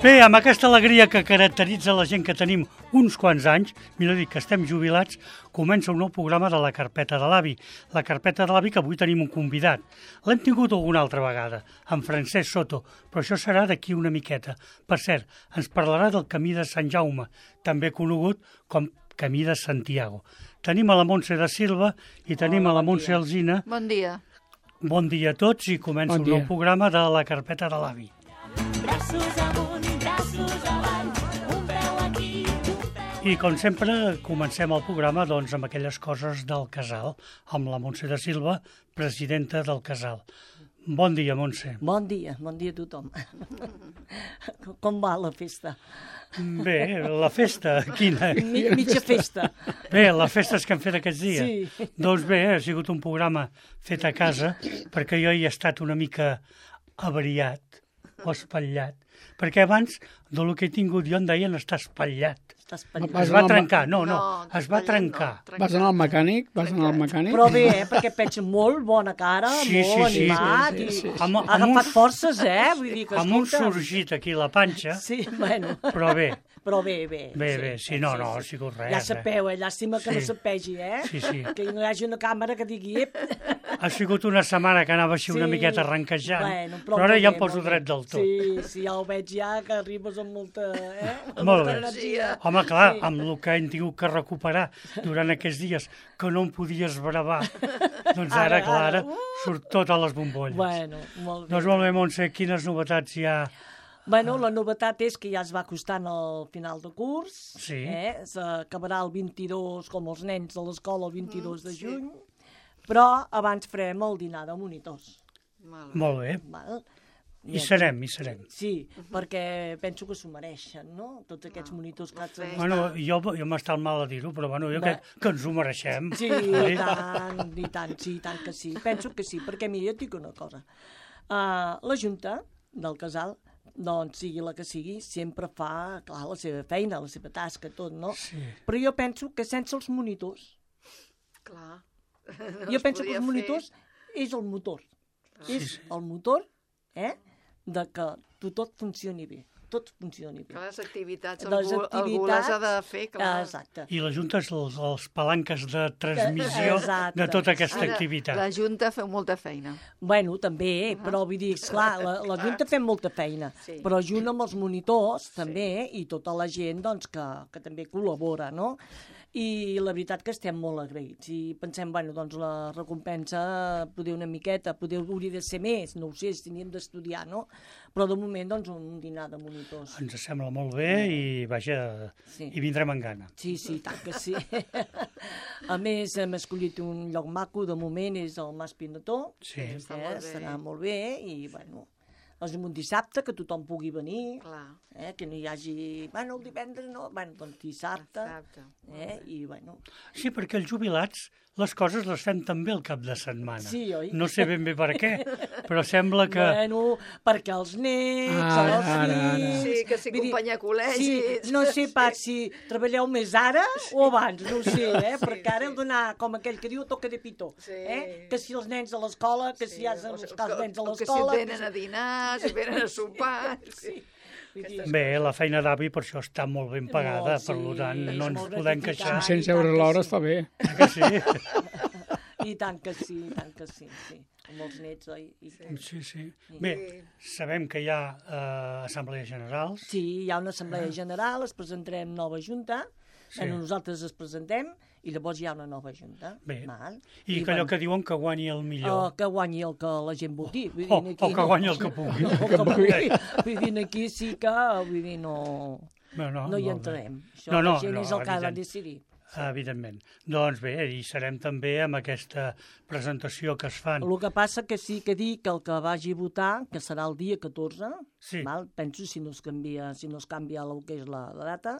Bé, amb aquesta alegria que caracteritza la gent que tenim uns quants anys, millor dit que estem jubilats, comença un nou programa de la Carpeta de l'Avi. La Carpeta de l'Avi, que avui tenim un convidat. L'hem tingut alguna altra vegada, en Francesc Soto, però això serà d'aquí una miqueta. Per cert, ens parlarà del Camí de Sant Jaume, també conegut com Camí de Santiago. Tenim a la Montse de Silva i tenim a la Montse Alsina. Bon dia. Bon dia a tots i comença un nou programa de la Carpeta de l'Avi. Braços amunt i braços avall, un peu aquí, un peu... I com sempre comencem el programa doncs, amb aquelles coses del casal, amb la Montse de Silva, presidenta del casal. Bon dia, Montse. Bon dia a tothom. Com va la festa? Bé, la festa, quina? Mitja festa. Bé, les festes que hem fet aquests dies. Sí. Doncs bé, ha sigut un programa fet a casa, perquè jo hi he estat una mica avariat o espatllat. Perquè abans, del que he tingut jo, em deien estar espatllat. Estàs penjat. Es va trencar, no, es va espatllat trencar. no. Vas anar al mecànic? Però bé, perquè et veig molt bona cara, Sí, molt sí, sí. animat. Sí. I Amb ha agafat forces, Vull dir que, Amb un escolta... sorgit aquí a la panxa, Sí, bueno. però bé. Però bé. Bé, sí, no ha sigut res. Ja sapeu, llàstima que no Sí. sapegi, Sí. Que no hi hagi una càmera que digui... Ep. Ha sigut una setmana que anava així una Sí. miqueta arrenquejant, Bueno, però ara molt ja bé, em poso molt bé. dret del tot. Sí, ja ho veig ja, que arribes amb molta... Amb Molt molta bé. energia. Home, clar, Sí. amb el que hem tingut que recuperar durant aquests dies, que no em podies bravar, doncs ara, Ara, surt tot a les bombolles. Bueno, molt bé. Doncs molt bé, Montse, quines novetats hi ha? Bueno, la novetat és que ja es va acostant al final de curs. Sí. S'acabarà el 22, com els nens de l'escola, el 22 de juny. Però abans farem el dinar de monitors. Molt bé. Val? Hi serem. Sí, perquè penso que s'ho mereixen, no? Tots aquests monitors que has... Bueno, jo m'està mal a dir-ho, però bueno, jo crec que ens ho mereixem. Sí, i tant, sí, i tant que sí. Penso que sí, perquè mira, jo et dic una cosa. La Junta del Casal, doncs sigui la que sigui, sempre fa, clar, la seva feina, la seva tasca, tot, no? Sí. Però jo penso que sense els monitors, Clar. jo penso que els monitors és el motor. És el motor, de que tot funcioni bé. Tot funcioni bé. Clar, les activitats, Les algú les ha de fer, clar. Exacte. I la Junta és els palanques de transmissió Exacte. de tota aquesta Ara, activitat. La Junta feu molta feina. Bueno, també, però vull dir, esclar, la Junta fem molta feina, Sí. però junt amb els monitors també, i tota la gent doncs, que també col·labora, no? I la veritat que estem molt agraïts i pensem, bueno, doncs la recompensa poder una miqueta, poder hauria de ser més, no ho sé, si teníem d'estudiar, no? Però de moment, doncs, un dinar de monitors. Ens sembla molt bé i, vaja, Sí. hi vindrem en gana. Sí, tant que sí. A més, hem escollit un lloc maco, de moment és el Mas Pinató. Sí. Està molt bé. Serà molt bé i, bueno, és un dissabte que tothom pugui venir, Clar. que no hi hagi... Bueno, el divendres no, bueno, doncs dissabte, Dissabte. i, bueno... Sí, perquè els jubilats les coses les fem també el cap de setmana. Sí, oi? No sé ben bé per què, però sembla que... Bueno, perquè els nets, els Ara. fills... Sí, que si vull dir, acompanya a col·legis. Sí, no sé pas si treballeu més ara o abans, no ho sé, perquè ara heu d'anar, com aquell que diu, a toca de pitó. Sí. Que si els nens a l'escola, que si has els nens a O que si l'escola... venen a dinar, si venen a sopar. Sí. Vull dir, Bé, la feina d'avi per això està molt ben pagada, Molt, per sí, tant no és ens molt podem gratificant. queixar. 500 euros l'hora està bé. Que sí? I tant que sí, sí. Amb els nets, oi? I tant. Sí. Bé, sabem que hi ha assemblees generals. Sí, hi ha una assemblea general, es presentarem nova junta, Sí. nosaltres es presentem i llavors hi ha una nova junta. Bé. Val? I que allò que diuen que guanyi el millor. Que guanyi el que la gent voti. Vull dir, O aquí que guanyi el que pugui. O que pugui. Vull dir, aquí sí que, vull dir, no hi molt bé. entrarem. Això No, la gent és el que ha de evident. decidir. Evidentment. Doncs bé, hi serem també amb aquesta presentació que es fan. El que passa que sí que dic que el que vagi a votar, que serà el dia 14, Sí. val? Penso si no es canvia el que és la data,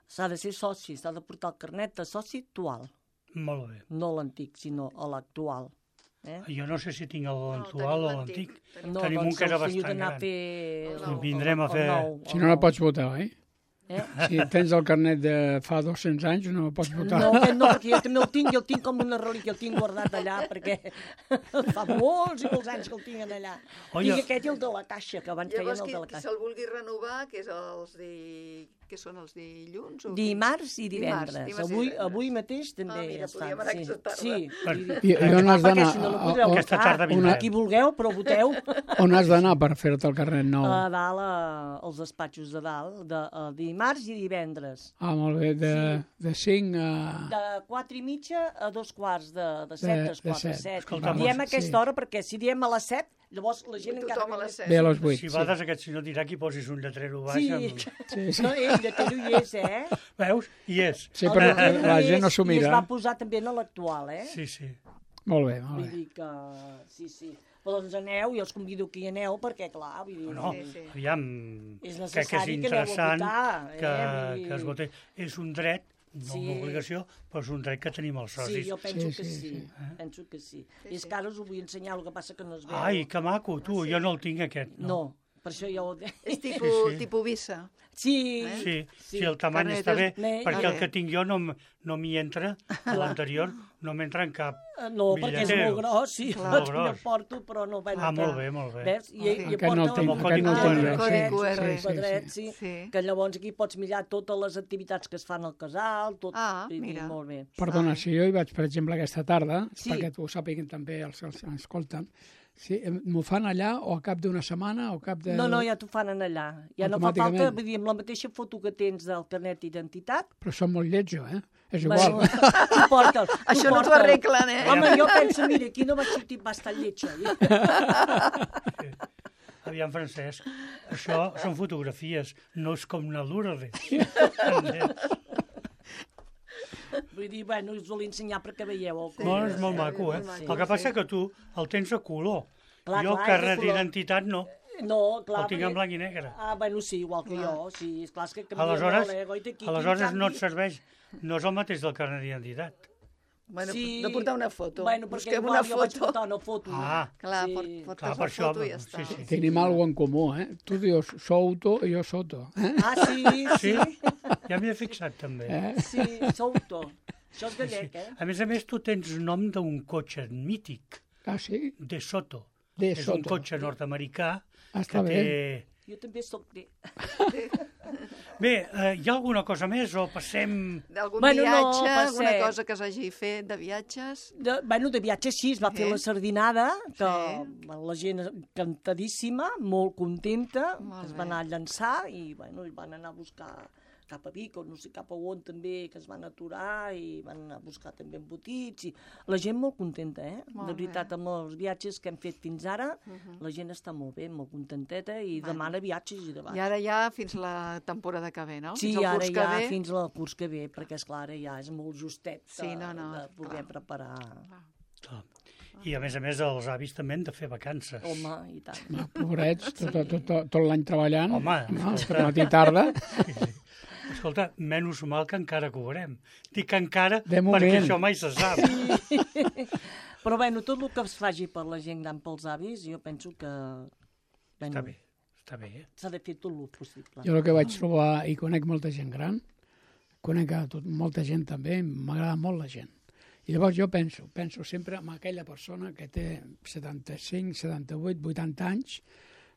s'ha de ser soci, s'ha de portar el carnet de soci actual, Molt bé. no l'antic, sinó l'actual. Jo no sé si tinc l'actual o l'antic. No, Tenim un doncs que era el senyor bastant d'anar a gran. fer... El nou. Vindrem a fer... el nou, Si no, no pots votar, oi? Si tens el carnet de fa 200 anys, no pots votar. No, aquest no, perquè jo també el tinc, i el tinc com una relíquia, el tinc guardat allà, perquè fa molts i molts anys que el tinc allà. Oye. Tinc aquest i el de la caixa, que abans feien Llavors, el de la qui caixa. se'l vulgui renovar, que són els dilluns? Dimarts i divendres. Dimarts i Avui, divendres. avui mateix també mira, ja està. podríem anar aquesta tarda. Sí. I on has Perquè d'anar? si no, no podreu Aquesta votar. tarda vindrem. Qui vulgueu, però voteu. On has d'anar per fer-te el carnet nou? A dalt, als despatxos de dalt, dimarts i divendres. Ah, molt bé, de 5 a... De 4 i mitja a 2 quarts de 7, de 4, set. 7. Escolta, Diem sí. aquesta hora perquè si diem a les 7, llavors la gent encara... Tothom a les 7. Ve a les 8. Si vades, aquest senyor dirà que hi posis un lletrero baix. Sí, Sí. no, ell de Tero hi és, Veus? Hi és. Sí, però El la Tero gent no és, s'ho I es mira. va posar també en l'actual, Sí, sí. Molt bé, molt Vull bé. dir que... Sí. Però doncs aneu, i els convido que hi aneu, perquè, clar, vull dir... No, Sí. aviam, És crec que és necessari que aneu a interessant votar, que es voti. És un dret, no Sí. una obligació, però és un dret que tenim els Sí, socis. jo penso Sí, que sí, sí. sí. Penso que sí. I és que ara us ho vull ensenyar, el que passa que no es veu. Ai, que maco, tu, jo no el tinc aquest. No, per això ja ho... És tipus visa. Sí, Sí, el tamany Carnet està bé, és- perquè el Vale. que tinc jo no m'hi entra, a l'anterior no m'entra en cap. no, perquè és molt gros, sí, Molt jo gros. porto, però no vaig Ah, molt bé, molt bé. Veus? I Aquest no el tinc, Com a aquest no el codi tinc QR. jo. Codi Sí, QR. sí, sí, quadret, sí. sí, Sí. que llavors aquí pots mirar totes les activitats que es fan al casal, tot, Ah, vull dir, mira. molt bé. Perdona, si jo hi vaig, per exemple, aquesta tarda, Sí. perquè t'ho sàpiguen també els que ens escolten, si m'ho fan allà o a cap d'una setmana o a cap de... No, ja t'ho fan allà. Ja no fa Automàticament. falta, vull dir, amb la mateixa foto que tens del carnet d'identitat, Però són molt lletjos, És igual. bueno, tu porta'l. Això no t'ho porta'l. arreglen, eh? Home, jo penso, mira, aquí no vaig sortir bastant lletja. Aviam, Francesc, això són fotografies, no és com una Lourdes. Vull dir, bueno, us volia ensenyar perquè veieu el No, és molt maco, eh? molt El maco, que passa que tu el tens a color. Clar, Jo, clar, carnet és de color. d'identitat, no. No, clar. El tinc en perquè- blanc i negre. Ah, bueno, sí, igual que jo, sí. Esclar, és que canvia Aleshores, molt, Goita, aquí, aleshores en no et canvi- serveix. No és el mateix del carnet d'identitat. Bueno, Sí. de portar una foto. Bueno, perquè Busquem igual una jo vaig foto. portar una foto. Ah. Clar, Sí. portes Clar, la per això, foto i ja està. sí. Tenim alguna en comú, Tu dius Souto i jo Soto. Ah, sí, Sí? sí. Ja m'hi he fixat, també. Sí, Souto. Això és gallec, A més, tu tens nom d'un cotxe mític, Ah, sí? De Soto. De És un Soto. cotxe nord-americà Està que té... Jo també soc de... Bé, hi ha alguna cosa més o passem... D'algun Bueno, no, viatge, alguna passem. cosa que s'hagi fet de viatges? De viatge sí, es va fer Sí. la sardinada, que Sí. la gent encantadíssima, molt contenta, Molt es bé. van anar a llançar i bueno, i van anar a buscar cap a Vic, o no sé cap a on també, que es van aturar i van anar a buscar també embotits. I la gent molt contenta, Molt de veritat, amb els viatges que hem fet fins ara, la gent està molt bé, molt contenteta i demana viatges i demà. I ara ja fins la temporada que ve, no? Sí, fins al ara curs que ja ve. fins al curs que ve, perquè és clar, ara ja és molt justet Sí, no, de poder clar. preparar. Clar. I a més, els avis també han de fer vacances. Home, i tant. Pobrets, tot l'any treballant. Home, no? escolta. Matí i tarda. Escolta, menys mal que encara cobrem. Dic encara De moment. perquè això mai se sap. Però bueno, tot el que es faci per la gent gran, pels avis, jo penso que bueno, Està bé. s'ha de fer tot el possible. Jo el que vaig trobar, i conec molta gent gran, conec molta gent també, m'agrada molt la gent. I llavors jo penso sempre en aquella persona que té 75, 78, 80 anys,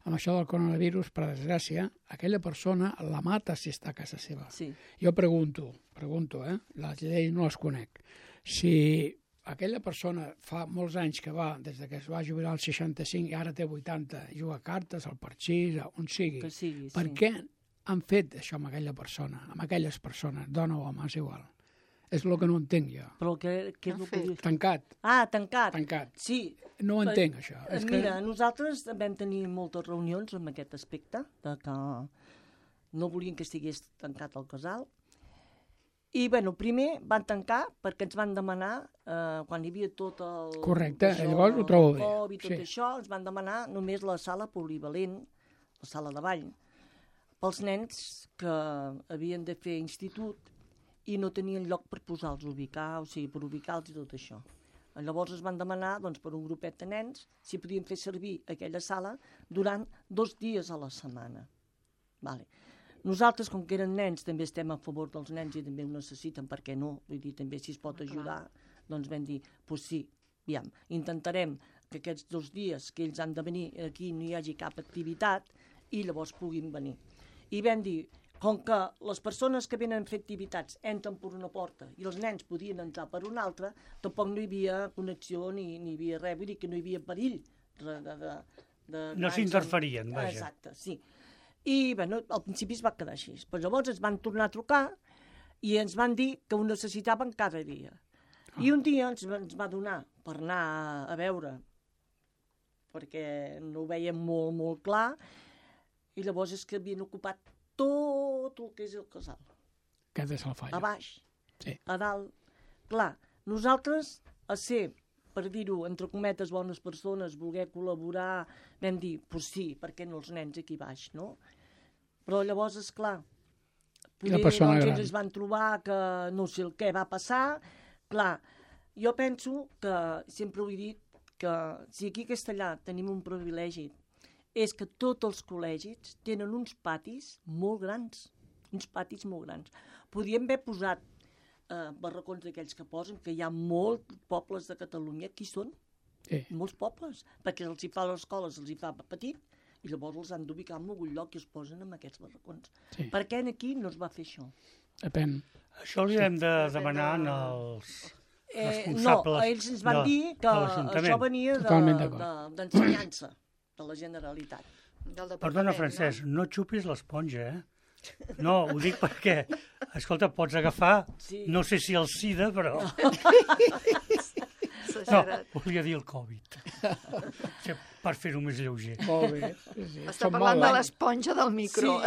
amb això del coronavirus, per desgràcia, aquella persona la mata si està a casa seva. Sí. Jo pregunto, les lleis no les conec. Si aquella persona fa molts anys que va, des que es va jubilar als 65 i ara té 80, juga a cartes, al parxís, on sigui, Que sigui, per sí. què han fet això amb aquella persona, amb aquelles persones, dona o home, és igual. És el que no entenc jo. Però què és el que... Tancat, Ah, tancat. tancat. Sí. No ho entenc, això. És que... Mira, nosaltres vam tenir moltes reunions amb aquest aspecte, de que no volien que estigués tancat el casal. I, bueno, primer van tancar perquè ens van demanar, quan hi havia tot el... Correcte, això, llavors ho trobo bé, el Covid, tot sí. això, ens van demanar només la sala polivalent, la sala de ball, pels nens que havien de fer institut i no tenien lloc per posar-los a ubicar, o sigui, per ubicar-los i tot això. Llavors es van demanar, doncs, per un grupet de nens, si podien fer servir aquella sala durant 2 dies a la setmana. Vale. Nosaltres, com que eren nens, també estem a favor dels nens i també ho necessiten, per què no? Vull dir, també si es pot ajudar, doncs vam dir, doncs sí, aviam, intentarem que aquests 2 dies que ells han de venir aquí no hi hagi cap activitat i llavors puguin venir. I vam dir, com que les persones que venen a fer activitats entren per una porta i els nens podien entrar per una altra, tampoc no hi havia connexió ni hi havia res, vull dir que no hi havia perill de No s'interferien, vaja. Exacte, sí. I, bueno, al principi es va quedar així. Però llavors ens van tornar a trucar i ens van dir que ho necessitaven cada dia. I un dia ens va donar per anar a veure, perquè no ho veiem molt, molt clar, i llavors és que havien ocupat tot el que és el casal. Aquest és el fall. A baix, Sí. a dalt. Clar, nosaltres, a ser, per dir-ho, entre cometes, bones persones, voler col·laborar, vam dir, doncs sí, per què no els nens aquí baix, no? Però llavors, esclar, poder, persona doncs, gran. ells es van trobar que no sé el què va passar. Clar, jo penso que, sempre ho he dit, que si aquí a Castellà tenim un privilegi, és que tots els col·legis tenen uns patis molt grans, Podríem haver posat barracons d'aquells que posen, que hi ha molts pobles de Catalunya, qui són? Sí. Molts pobles, perquè els hi fa a les escoles, els hi fa petit, i llavors els han d'ubicar en algun lloc i els posen en aquests barracons. Sí. Per què aquí no es va fer això? Depèn. Això li hem de demanar als No, responsables ells ens van dir que de l'Ajuntament. això venia Totalment d'acord. d'ensenyança de la Generalitat. Del departament, Perdona, Francesc, no xupis l'esponja, eh? No, ho dic perquè, escolta, pots agafar, Sí. no sé si el SIDA, però... No, Exagerat. volia dir el Covid. Sí, per fer-ho més lleuger. Molt bé. Sí, sí. Està Som parlant de molt, l'esponja del micro.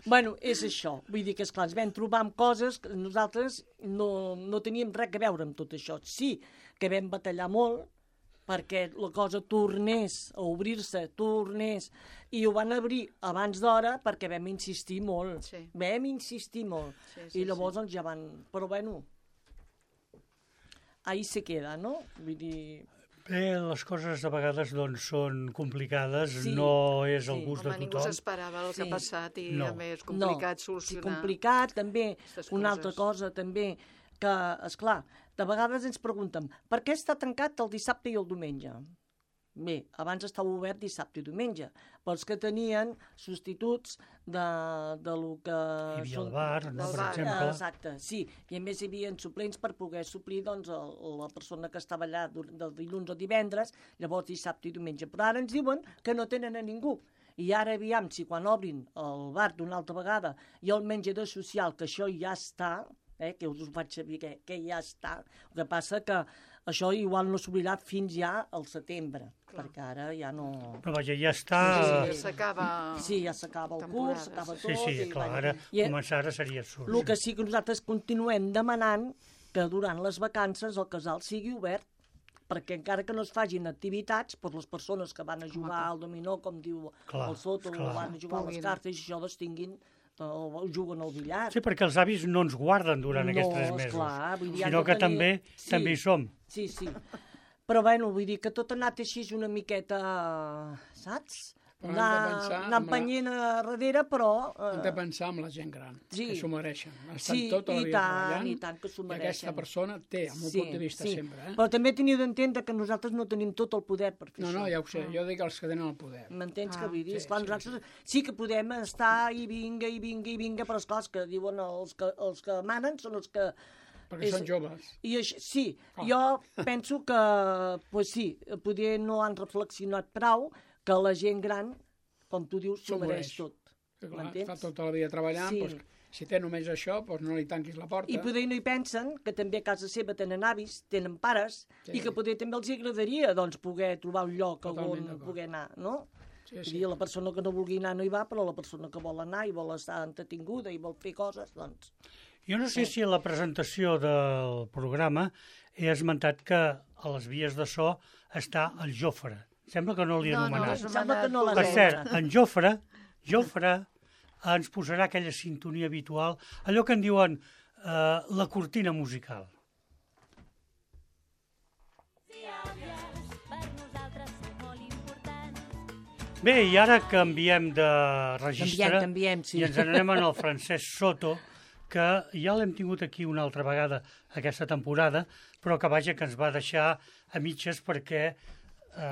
Bueno, és això. Vull dir que, esclar, ens vam trobar amb coses que nosaltres no teníem res a veure amb tot això. Sí que vam batallar molt perquè la cosa tornés a obrir-se, i ho van obrir abans d'hora perquè vam insistir molt. Sí. Vam insistir molt. Sí, I llavors doncs ja van... Però bueno, ahí se queda, no? Vull dir... Bé, les coses de vegades doncs, són complicades, Sí, no és el sí. gust Home, de ningú tothom. s'esperava el que Sí. ha passat i No. a més complicat solucionar. Sí, complicat, també. aquestes Una altra coses. cosa, també, que, esclar, de vegades ens preguntem per què està tancat el dissabte i el diumenge? Bé, abans estava obert dissabte i diumenge, però els que tenien substituts de lo que... Hi havia el bar, no, del per bar. exemple. Exacte, sí. I a més hi havia suplents per poder suplir doncs, la persona que estava allà del dilluns o divendres, llavors dissabte i diumenge. Però ara ens diuen que no tenen a ningú. I ara aviam si quan obrin el bar d'una altra vegada i el menjador social, que això ja està, que us ho faig saber que ja està, el que passa que això igual no s'obrirà fins ja al setembre, perquè ara ja no... Però vaja, ja està... Sí, s'acaba... Sí, ja s'acaba el temporada, curs, s'acaba Sí, tot... sí, i, clar, bueno, ara i- començar ara seria absurd. el que sí que nosaltres continuem demanant que durant les vacances el casal sigui obert, perquè encara que no es fagin activitats, doncs les persones que van a jugar al dominó, com diu Clar, el Soto, o esclar. van a jugar a les Puguin. cartes, i això les tinguin, o juguen al billar. Sí, perquè els avis no ens guarden durant aquests 3 mesos, esclar, vull dir, han sinó de que tenir- també hi som. Sí, sí. Però bueno, vull dir que tot ha anat així una miqueta, saps? Però hem de pensar Anar amb la- empenyent a darrere, però... Hem de pensar en la gent gran, Sí. que s'ho mereixen. Estan Sí, tota la i vida tant, treballant, i tant que s'ho i mereixen. aquesta persona té, amb un punt de vista sempre. Però també teniu d'entendre que nosaltres no tenim tot el poder per fer No, això. no, ja ho sé, jo dic els que tenen el poder. M'entens que vull dir? sí, Esclar, sí, nosaltres sí que podem estar i vinga, però esclar, els que diuen els que manen són els que... Perquè són joves. I això, sí, Clar. jo penso que, pues sí, poder no han reflexionat prou que la gent gran, com tu dius, s'ho S'ho mereix mereix. tot. Que, clar, M'entens? fa tota la vida treballant, Sí. doncs, si té només això, doncs no li tanquis la porta. I poder no hi pensen que també a casa seva tenen avis, tenen pares, Sí. i que poder també els agradaria doncs, poder trobar un lloc Totalment on d'acord. poder anar, no? Sí, Vull sí. dir, la persona que no vulgui anar no hi va, però la persona que vol anar i vol estar entretinguda i vol fer coses, doncs... Jo no sé si a la presentació del programa he esmentat que a les vies de so està el Jofre. Sembla que no l'he anomenat. no, Sembla que no l'has Per anomenat. cert, en Jofre ens posarà aquella sintonia habitual, allò que en diuen la cortina musical. Si àvies per nosaltres són molt importants. Bé, i ara canviem de registre Canviem, sí. i ens n'anem al Francesc Soto, que ja l'hem tingut aquí una altra vegada aquesta temporada, però que vaja, que ens va deixar a mitges perquè,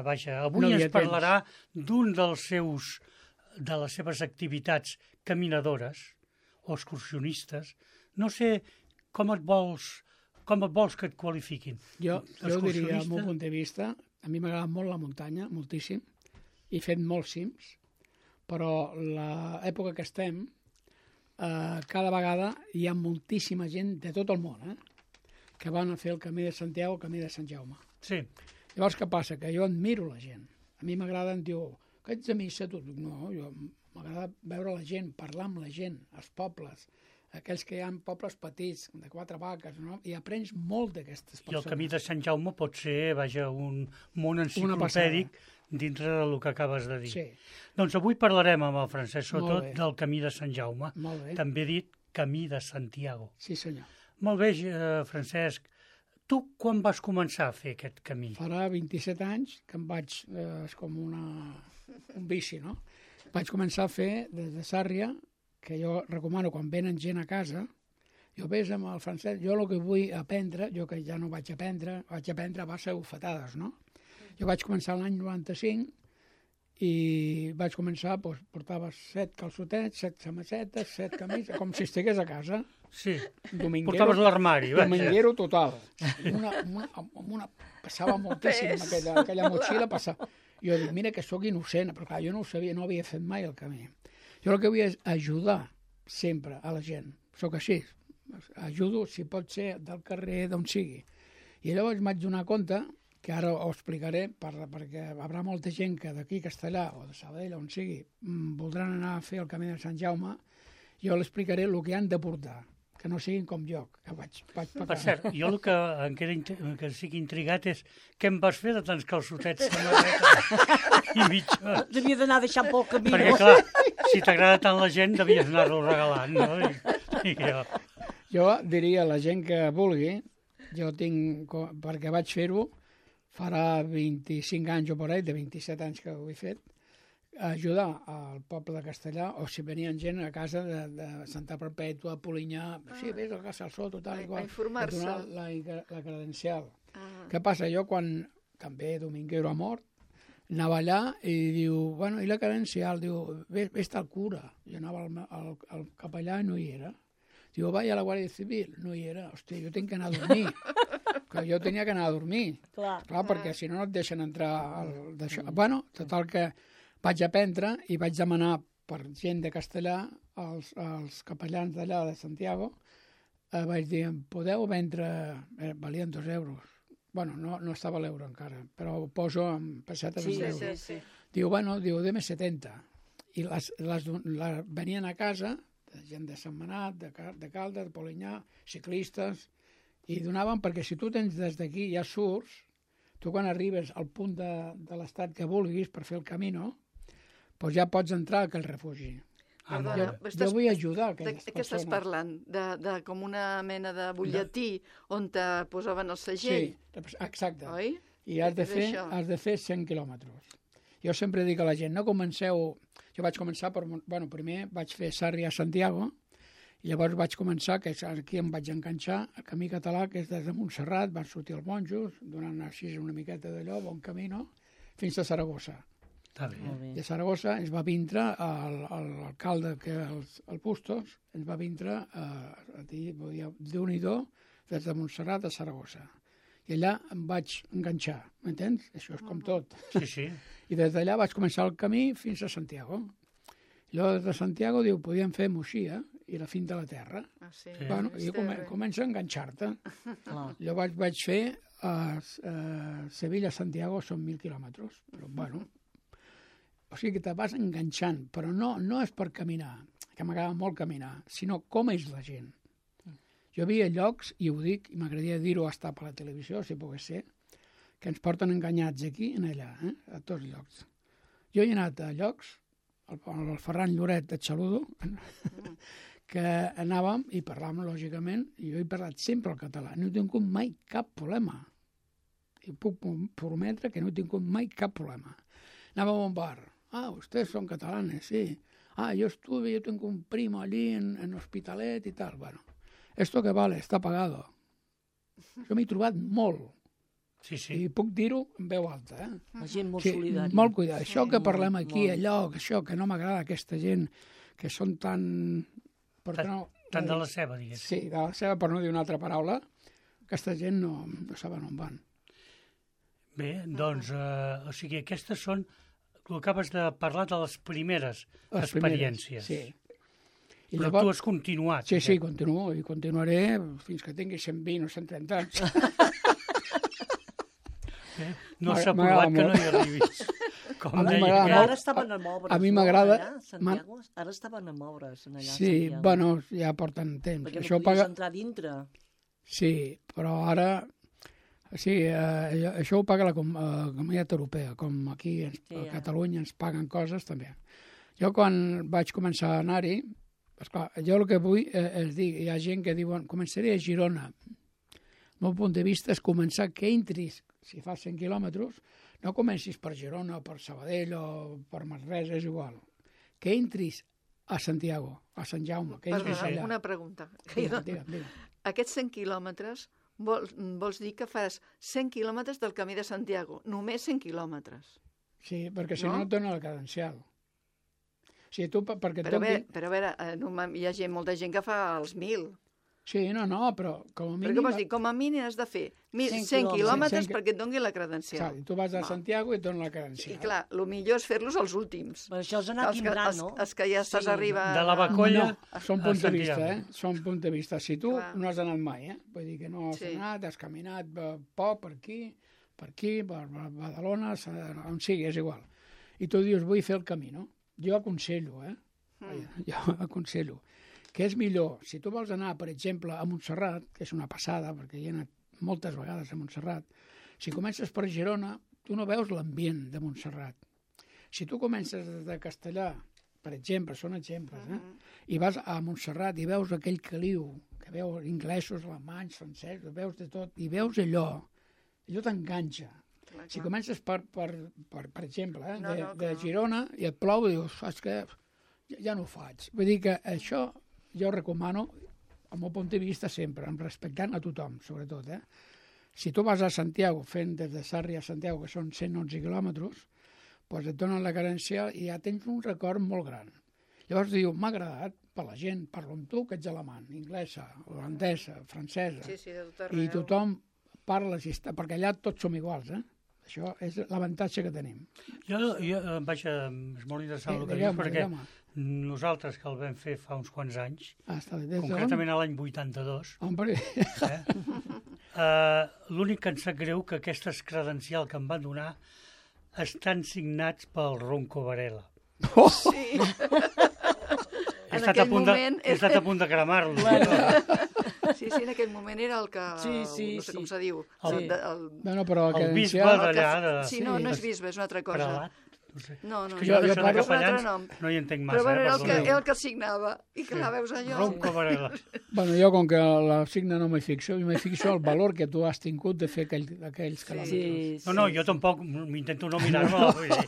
vaja, avui No hi ha ens parlarà d'un de les seves activitats caminadores o excursionistes. No sé com et vols que et qualifiquin. Jo diria, al Excursionista? meu punt de vista, a mi m'agrada molt la muntanya, moltíssim, he fet molts cims, però l'època que estem, cada vegada hi ha moltíssima gent de tot el món, que van a fer el camí de Santiago, el camí de Sant Jaume. Sí, Llavors, què passa? Que jo admiro la gent. A mi m'agrada, em diu, que ets de missa, tu? No, jo m'agrada veure la gent, parlar amb la gent, els pobles, aquells que hi ha pobles petits, de 4 vaques, no? I aprens molt d'aquestes i persones. el camí de Sant Jaume pot ser, vaja, un món enciclopèdic dintre del que acabes de dir. Sí, Doncs avui parlarem amb el Francesc Soto Molt bé. del camí de Sant Jaume, molt bé. també dit camí de Santiago. Sí, senyor. Molt bé, Francesc, tu quan vas començar a fer aquest camí? Farà 27 anys que em vaig... és com un vici, no? Vaig començar a fer des de Sàrria, que jo recomano quan venen gent a casa, jo ves amb el Francesc, jo el que vull aprendre, jo que ja no vaig aprendre a base d'ofetades, no? Jo vaig començar l'any 95 i vaig començar, doncs, portava 7 calçotets, 7 samassetes, 7 camises, com si estigués a casa. Sí, Dominguero, portaves l'armari, vaja. dominguero total. Passava moltíssim aquella motxilla, passava. Jo dic, mira que sóc innocent, però clar, jo no ho sabia, no havia fet mai el camí. Jo el que vull és ajudar sempre a la gent. Sóc així, ajudo, si pot ser, del carrer, d'on sigui. I llavors m'haig donar compte, que ara ho explicaré, perquè hi haurà molta gent que d'aquí, Castellà, o de Sabadell, on sigui, voldran anar a fer el camí de Sant Jaume, jo l'explicaré el que han de portar, que no siguin com jo, que vaig pecar. Per cert, jo el que em queda que estic intrigat és què em vas fer de tants calçotets samarreta i mitja? Devia d'anar deixant pel camí. Perquè, clar, si t'agrada tant la gent, devies anar-lo regalant, no? I jo... Jo diria a la gent que vulgui, jo tinc, perquè vaig fer-ho, farà 25 anys o per ahí, de 27 anys que ho he fet, ajudar al poble de Castellà, o si venien gent a casa de Santa Perpètua, Polinyà, sí, vés a casa al Soto, tal i qual, A informar-se. donar la credencial. Què passa? Jo, quan també Dominguero ha mort, anava allà i diu, bueno, i la credencial? Diu, vés al cura. Jo anava al capellà i no hi era. Diu, vaig a la Guàrdia Civil. No hi era. Hòstia, jo tinc que anar a dormir. Que jo tenia que anar a dormir. Clar. Perquè si no et deixen entrar d'això. Bueno, total que vaig aprendre i vaig demanar per gent de Castellà als capellans d'allà de Santiago, vaig dir, podeu vendre, valien 2 euros. Bueno, no estava l'euro encara, però ho poso en pessetes en euros. Sí. Diu, bueno, diu, deme 70. I venien a casa, gent de Sentmenat, de Caldes, de Polinyà, ciclistes, i donaven, perquè si tu tens des d'aquí ja surts, tu quan arribes al punt de l'estat que vulguis per fer el camí, doncs ja pots entrar a aquell refugi. Perdona, Jo vull ajudar aquelles de què estàs persones. parlant? De com una mena de butlletí on te posaven el segell, Sí, exacte. oi? I has de És fer això. 100 quilòmetres. Jo sempre dic a la gent, no comenceu... Jo vaig començar primer vaig fer Sàrria a Santiago, i llavors vaig començar, que aquí em vaig enganxar, el camí català, que és des de Montserrat, van sortir els monjos, donant així una miqueta d'allò, bon camí, fins a Saragossa. Està bé. De Saragossa ens va vindre l'alcalde, que el Bustos, ens va vindre a dir, Déu-n'hi-do, des de Montserrat a Saragossa. I allà em vaig enganxar, m'entens? Això és com tot. Sí. I des d'allà vaig començar el camí fins a Santiago. I llavors de Santiago diu, podíem fer Moixia i la fin de la terra. Sí. Bueno, i comença a enganxar-te. Llavors vaig fer Sevilla-Santiago, són 1.000 quilòmetres. Però bueno, o sigui que te vas enganxant, però no és per caminar, que m'agrada molt caminar, sinó com és la gent. Jo havia llocs, i ho dic, i m'agradaria dir-ho hasta per la televisió, si pogués ser, que ens porten enganyats aquí i allà, a tots llocs. Jo he anat a llocs, el Ferran Lloret de Xaludo, que anàvem i parlàvem, lògicament, i jo he parlat sempre el català. No he tingut mai cap problema. I puc prometre que no he tingut mai cap problema. Anàvem a un bar, ustedes son catalanes, sí. Yo tengo un primo allí en Hospitalet i tal. Bueno, esto que vale, està pagado. Jo m'he trobat molt. Sí. I puc dir-ho en veu alta, eh? La gent molt solidària. Molt cuidat. Això que parlem molt, aquí, molt. allò, això que no m'agrada aquesta gent, que són tan... Tant de la ceba, diguéssim. Sí, de la ceba, per no dir una altra paraula, aquesta gent no saben on van. Bé, doncs, o sigui, aquestes són... Tu acabes de parlar de les primeres experiències. Sí. I Però llavors, tu has continuat. Sí, continuo, i continuaré fins que tingui 120 o 130 anys. No s'ha provat que no hi arribis. Com deia. Ara estaven a moure's. A mi m'agrada... Allà, Santiago? Ara estaven a moure's allà, Sí, Santiago. bueno, ja porten temps. Perquè no Això podies entrar dintre. Sí, però ara... Sí, això ho paga la Comunitat Europea, com aquí a Catalunya ens paguen coses també. Jo quan vaig començar a anar-hi, esclar, jo el que vull és dir, hi ha gent que diuen començaré a Girona. El meu punt de vista és començar que entris, si fas 100 quilòmetres, no comencis per Girona o per Sabadell o per Manresa, és igual. Que entris a Santiago, a Sant Jaume, que entris allà. Una pregunta. Digue'm. Aquests 100 quilòmetres vols dir que fas 100 quilòmetres del camí de Santiago, només 100 quilòmetres. Sí, perquè si no et dona la credencial. O sigui, tu, perquè Però a veure, hi ha molta gent que fa els 1.000. Sí, no, però com a mínim... Però què vols dir? Com a mínim has de fer 100 quilòmetres perquè et doni la credencial. Tu vas a Santiago i et dona la credencial. I clar, el millor és fer-los els últims. Però això és anar timbrant, no? Els que ja estàs arribant... De la Bacolla Són punts de vista, Són punts de vista. Si tu Clar. no has anat mai, Vull dir que no has anat, has caminat per aquí, per Badalona, on sigui, és igual. I tu dius, vull fer el camí, no? Jo aconsello, Jo aconsello que és millor, si tu vols anar, per exemple, a Montserrat, que és una passada, perquè hi he anat moltes vegades a Montserrat, si comences per Girona, tu no veus l'ambient de Montserrat. Si tu comences des de Castellà, per exemple, són exemples, i vas a Montserrat i veus aquell caliu, que veus inglesos, alemanys, francesos, veus de tot, i veus allò t'enganxa. Si comences per exemple, de Girona, i et plou, i dius, saps què? Ja no ho faig. Vull dir que això jo recomano, al meu punt de vista, sempre, respectant a tothom, sobretot. Si tu vas a Santiago, fent des de Sarri a Santiago, que són 111 quilòmetres, doncs et donen la credencial i ja tens un record molt gran. Llavors diu, m'ha agradat per la gent, parlo amb tu, que ets alemany, inglesa, holandesa, francesa, de tot arreu. i tothom parla, perquè allà tots som iguals, Això és l'avantatge que tenim. Jo vaja, és molt interessant el que dius, perquè nosaltres que el vam fer fa uns quants anys, concretament a l'any 82, l'únic que em sap greu que aquestes credencials que em van donar estan signats pel Ronco Varela. Sí. He estat a punt de cremar-lo. Sí, en aquell moment era el que... No sé com se diu. El bisbe d'allà... Sí, no és bisbe, és una altra cosa. Prelat? No sé. No, és que jo de parlo capellans no hi entenc massa. Però era el que signava. I clar, veus allò... Ronco Varela. Bueno, jo, com que la signa no m'hi fixo, el valor que tu has tingut de fer aquells quilòmetres. No, jo tampoc m'intento no mirar-me-la, vull dir.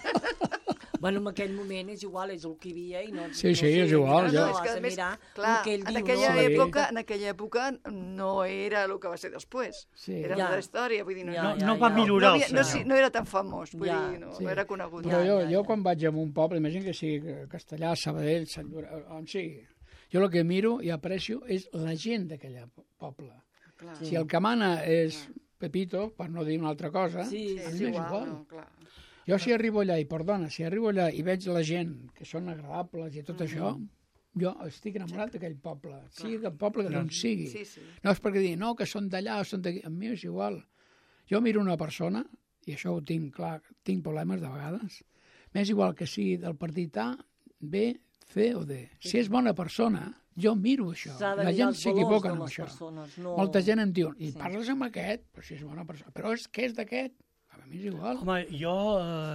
Bueno, en aquell moment és igual, és el que hi havia i no... Sí, és igual. No, és que, a més, clar, en aquella època no era el que va ser després. Era una història, vull dir... No va millorar el senyor. No era tan famós, vull dir, no era conegut. Però jo quan vaig a un poble, imagina que sigui Castellà, Sabadell, Sant Llorenç, on sigui, jo el que miro i aprecio és la gent d'aquell poble. Si el que mana és Pepito, per no dir una altra cosa, a mi m'és igual. Jo si arribo allà, i veig la gent que són agradables i tot això, jo estic enamorat d'aquell poble, sigui el poble que no sigui. No és perquè dir, no, que són d'allà o són d'aquí, a mi és igual. Jo miro una persona, i això ho tinc clar, tinc problemes de vegades, m'és igual que sigui del partit A, B, C o D. Si és bona persona, jo miro això. La gent s'equivoca amb això. Molta gent em diu, i parles amb aquest, però si és bona persona, però és que és d'aquest. A mi és igual. Home, jo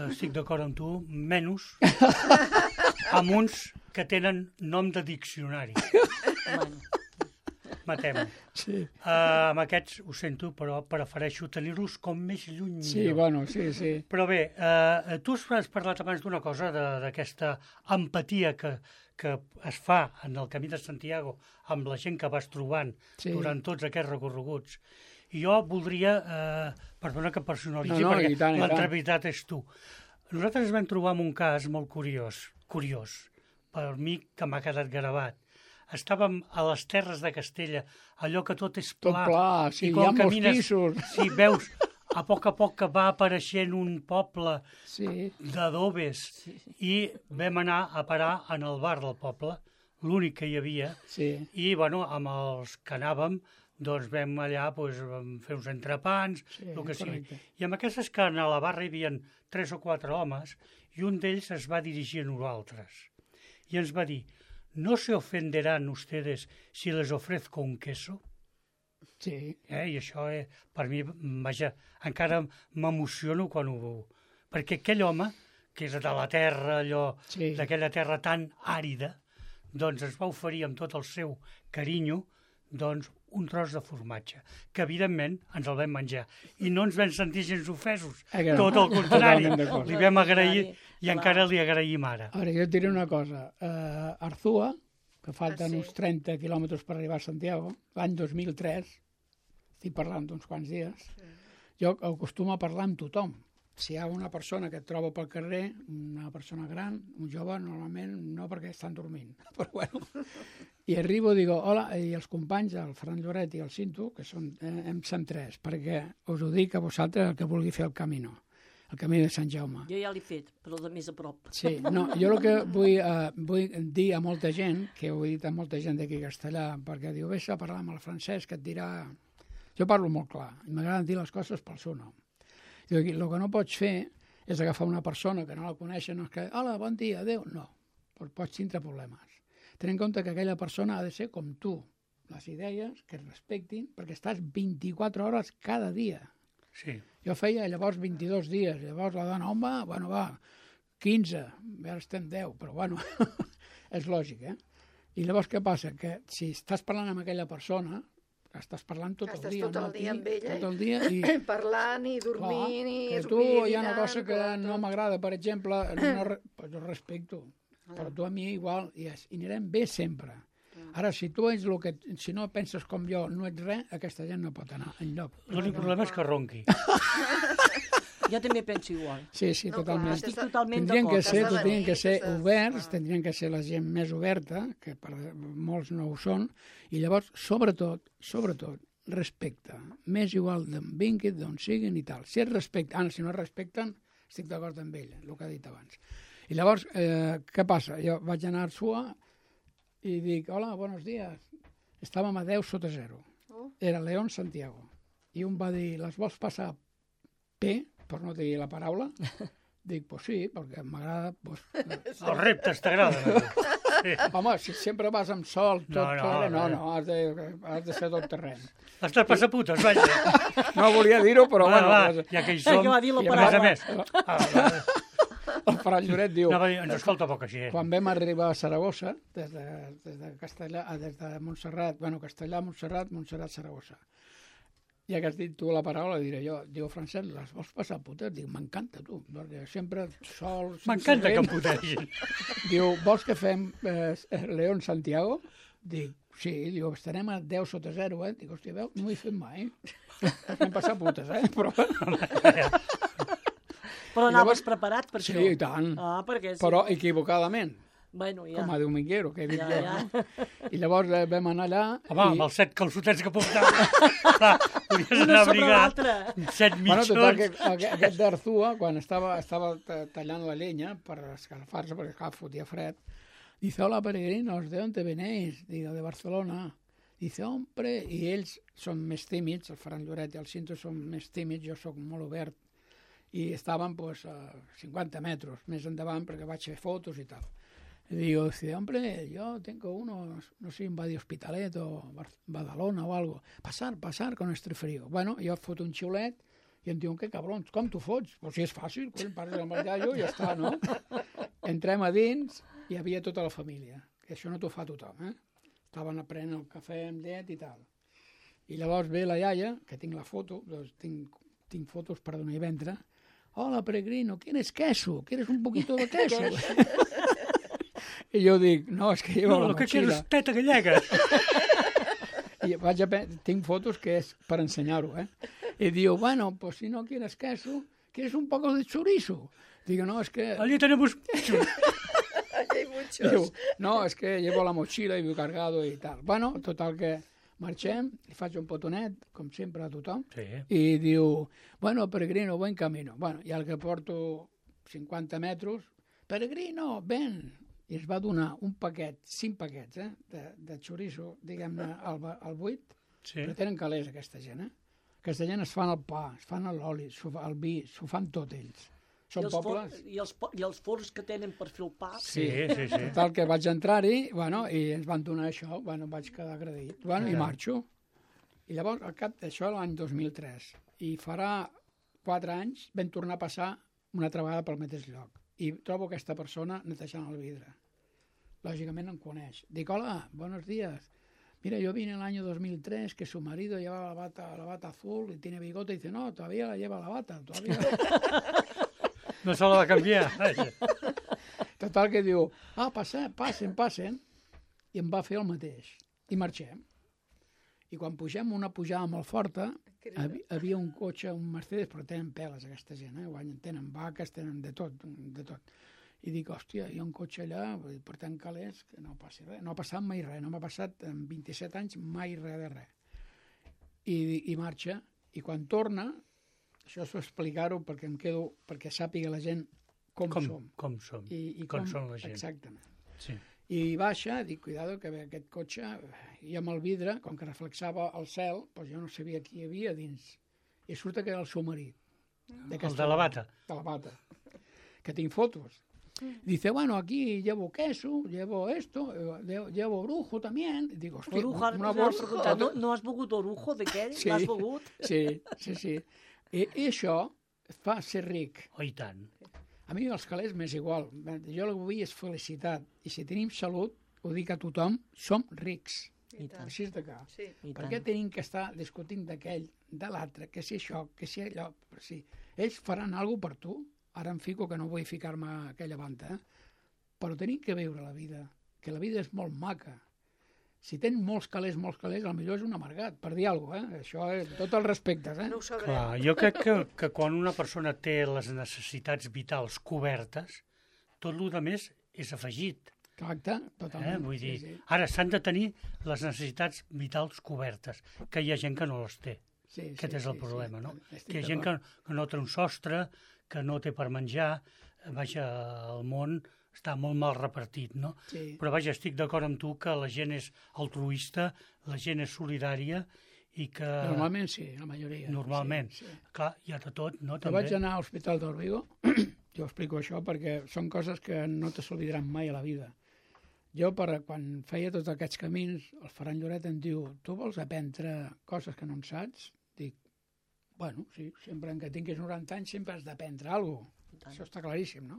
estic d'acord amb tu, menys amb uns que tenen nom de diccionari. matem. Sí. Amb aquests, ho sento, però prefereixo tenir-los com més lluny millor. Sí, bueno, sí. Però bé, tu has parlat abans d'una cosa, d'aquesta empatia que es fa en el Camí de Santiago amb la gent que vas trobant durant tots aquests recorreguts. I jo voldria, perdona que personalitzi, perquè l'entrevistat és tu. Nosaltres vam trobar un cas molt curiós, per mi que m'ha quedat gravat. Estàvem a les terres de Castella, allò que tot és pla. Tot pla, sí, hi ha molts pisos. Sí, veus a poc que va apareixent un poble d'adobes i vam anar a parar en el bar del poble, l'únic que hi havia, i bueno, amb els que anàvem, doncs vam allà vam fer uns entrepans, el que sigui. I amb aquestes que a la barra hi havia 3 o 4 homes, i un d'ells es va dirigir a nosaltres i ens va dir: ¿no se ofenderán ustedes si les ofrezco un queso? Sí. I això, per mi, vaja, encara m'emociono quan ho veu. Perquè aquell home, que és de la terra, d'aquella terra tan àrida, doncs ens va oferir amb tot el seu carinyo doncs, un tros de formatge, que evidentment ens el vam menjar. I no ens vam sentir gens ofesos. Tot el contrari. Li vam agrair i encara li agraïm ara. Ara, jo et diré una cosa. Arzúa, que falten uns 30 quilòmetres per arribar a Santiago, l'any 2003, estic parlant d'uns quants dies, jo acostumo a parlar amb tothom. Si hi ha una persona que et trobo pel carrer, una persona gran, un jove, normalment no, perquè estan dormint. Però bueno, i arribo i digo, hola, i els companys, el Ferran Lloret i el Cinto, que són, som 3, perquè us ho dic a vosaltres el que vulgui fer el camí de Sant Jaume. Jo ja l'he fet, però de més a prop. Sí, no, jo el que vull dir a molta gent, que ho he dit a molta gent d'aquí a Castellà, perquè diu, vés a parlar amb el Francesc, que et dirà... Jo parlo molt clar, i m'agrada dir les coses pel seu nom. El que no pots fer és agafar una persona que no la coneixen, no és que, hola, bon dia, adéu. No, pots tindre problemes. Ten en compte que aquella persona ha de ser com tu, les idees que et respectin, perquè estàs 24 hores cada dia. Sí. Jo feia llavors 22 dies, llavors la dona, home, bueno, va, 15, ara estem 10, però bueno, és lògic, I llavors què passa? Que si estàs parlant amb aquella persona, estàs parlant tot el dia. Estàs tot el dia amb ella. Tot el dia. I... parlant i dormint i que tu hi ha una cosa que no m'agrada, per exemple, jo respecto, però tu a mi igual, i anirem bé sempre. Ara, si tu ets el que... Si no penses com jo, no ets res, aquesta gent no pot anar enlloc. L'únic problema és que ronqui. Jo també penso igual. Sí, totalment. Estic totalment d'acord. Tindrien que ser oberts, tindrien que ser la gent més oberta, que per molts no ho són, i llavors, sobretot, respecte. M'és igual d'on vinguin, d'on siguin i tal. Si si no respecten, estic d'acord amb ell, el que ha dit abans. I llavors, què passa? Jo vaig anar a Arzúa i dic, hola, buenos días. Estàvem a 10 sota 0. Era León Santiago. I un va dir, les vols passar P, per no dir la paraula? Dic, pues sí, perquè m'agrada... Pues... Els reptes t'agraden. Sí. Home, si sempre vas amb sol, no, has de ser tot terreny. Estàs passaputes, vaja. No volia dir-ho, però bueno. Ja que hi som, que va dir la i a més. El Ferran Lloret diu... Ens escolta poca gent. Quan vam arribar a Saragossa, des de Castellà, des de Montserrat, Castellà, Montserrat, Saragossa. Ja que has dit tu la paraula, diré jo, diu Francesc, les vols passar putes? Diu, m'encanta, tu, perquè sempre sol... M'encanta que em putegin. Diu, vols que fem León Santiago? Dic, sí, diu, estarem a 10 sota 0, Dic, hòstia, veu, no ho he fet mai. Vam passar putes, Però... Però anaves preparat per això? Sí, i tant. Perquè sí. Però equivocadament. Bueno, ja. Com a dominguero, que he dit jo. I llavors vam anar allà... Home, amb els 7 calçotets que portava, podies anar abrigat 7 mitjons. Total, aquest d'Arzúa, quan estava tallant la llenya per escalfar-se, perquè fotia fred, dice, hola, peregrinos, ¿de dónde venéis? Digo, de Barcelona. Dice, hombre, i ells són més tímids, el Ferran Lloret i el Cinto són més tímids, jo sóc molt obert, i estàvem pues, a 50 metres més endavant perquè vaig fer fotos i tal. Y digo, hombre, yo tengo uno, no sé, un va de Hospitalet o Badalona o algo. Pasar con este frío. Bueno, jo foto un xiulet i em diuen, que cabrons, com t'ho fots? Pues si és fàcil, parles amb el gallo i ja està, no? Entrem a dins i hi havia tota la família. Que això no t'ho fa tothom, estaven prenent el cafè amb llet i tal. I llavors ve la iaia, que tinc la foto, doncs tinc fotos per donar i ventre. Hola, peregrino, ¿quieres queso? ¿Quieres un poquito de queso? I jo dic, no, és que llevo la No, el que mochila. quiero és teta gallega. I tinc fotos que és per ensenyar-ho, I diu, bueno, pues si no quieres queso, ¿quieres un poco de chorizo? Digo, no, es que... Allí tenemos... Allí hay muchos. Diu, no, és que llevo la mochila i viu cargado i tal. Bueno, total que marxem, li faig un potonet, com sempre a tothom, Sí. i diu, bueno, peregrino, buen camino. Bueno, i al que porto 50 metres, peregrino, ven! I ens va donar un paquet, 5 paquets, de chorizo, diguem-ne, al buit, Sí. però tenen calés, aquesta gent, Aquesta gent es fan el pa, es fan l'oli, el vi, s'ho fan tot ells. Són pobles... I els forns que tenen per fer el pa. Sí. Total, que vaig entrar-hi, bueno, i ens van donar això, bueno, vaig quedar agraït, bueno, i marxo. I llavors, al cap d'això, l'any 2003, i farà 4 anys, vam tornar a passar una altra vegada pel mateix lloc. I trobo aquesta persona netejant el vidre. Lògicament em coneix. Dic, hola, buenos días. Mira, yo vine el año 2003, que su marido llevaba la bata azul y tiene bigote, y dice, no, todavía la lleva la bata, todavía... No se la va canviar. Total, que diu, passen, i em va fer el mateix. I marxem. I quan pugem una pujada molt forta, havia un cotxe, un Mercedes, però tenen peles aquesta gent, tenen vaques, tenen de tot. I dic, hòstia, hi ha un cotxe allà, portant calés, que no passi res. No ha passat mai res, no m'ha passat en 27 anys mai res de res. I marxa, i quan torna, això és explicar-ho perquè em quedo, perquè sàpiga la gent com som. Com som, I com són la gent. Exactament. Sí. I baixa, dic, cuidado, que aquest cotxe, i amb el vidre, com que reflexava el cel, doncs jo no sabia qui hi havia dins. I surt que era el seu marit. El de la bata. De la bata. Que tinc fotos. Dice, bueno, aquí llevo queso, llevo esto, llevo orujo también. Y digo, hòstia, una bolsa... No has begut orujo d'aquell? Sí, L'has begut? sí. I això fa ser ric. Oh, i tant. A mi els calés m'és igual. Jo el que vull és felicitat. I si tenim salut, ho dic a tothom, som rics. Així és de clar. Sí. Per què tenim que estar discutint d'aquell, de l'altre, que si això, que si allò... Si ells faran alguna cosa per tu, ara em fico que no vull ficar-me a aquella banda, però tenim que viure la vida, que la vida és molt maca. Si tens molts calés, potser és un amargat, per dir alguna cosa, Això és tot el respecte, No ho sabrem. Clar, jo crec que quan una persona té les necessitats vitals cobertes, tot el que més és afegit. Exacte, totalment. Vull dir, ara s'han de tenir les necessitats vitals cobertes, que hi ha gent que no les té. Aquest és el problema, no? Que hi ha gent que no té un sostre, que no té per menjar, vaja, el món està molt mal repartit, no? Sí. Però vaja, estic d'acord amb tu que la gent és altruista, la gent és solidària i que... Normalment sí, la majoria. Normalment. Sí. Clar, hi ha de tot, no? Jo vaig anar a l'Hospital d'Órbigo, jo explico això perquè són coses que no te s'oblidaran mai a la vida. Jo, quan feia tots aquests camins, el Ferran Lloret em diu, tu vols aprendre coses que no en saps? Dic, bueno, sí, sempre que tinguis 90 anys sempre has d'aprendre alguna cosa. Això està claríssim, no?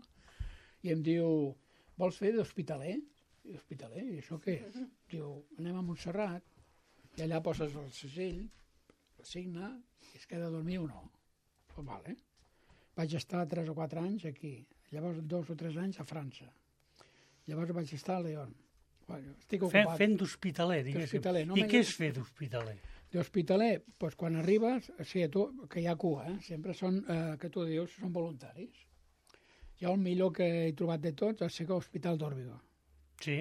I em diu, vols fer d'hospitaler? I hospitaler, i això què? Diu, anem a Montserrat, i allà poses el segell, el signe, i es queda a dormir o no. Pues vale. Vaig estar 3 o 4 anys aquí, llavors 2 o 3 anys a França. Llavors vaig estar a León. Bueno, estic ocupat. Fent d'hospitaler, diguéssim. I què és fer d'hospitaler? D'hospitaler, doncs quan arribes, sí, que hi ha cua, sempre són, que tu dius, són voluntaris. Jo el millor que he trobat de tots va ser que l'Hospital d'Órbigo. Sí,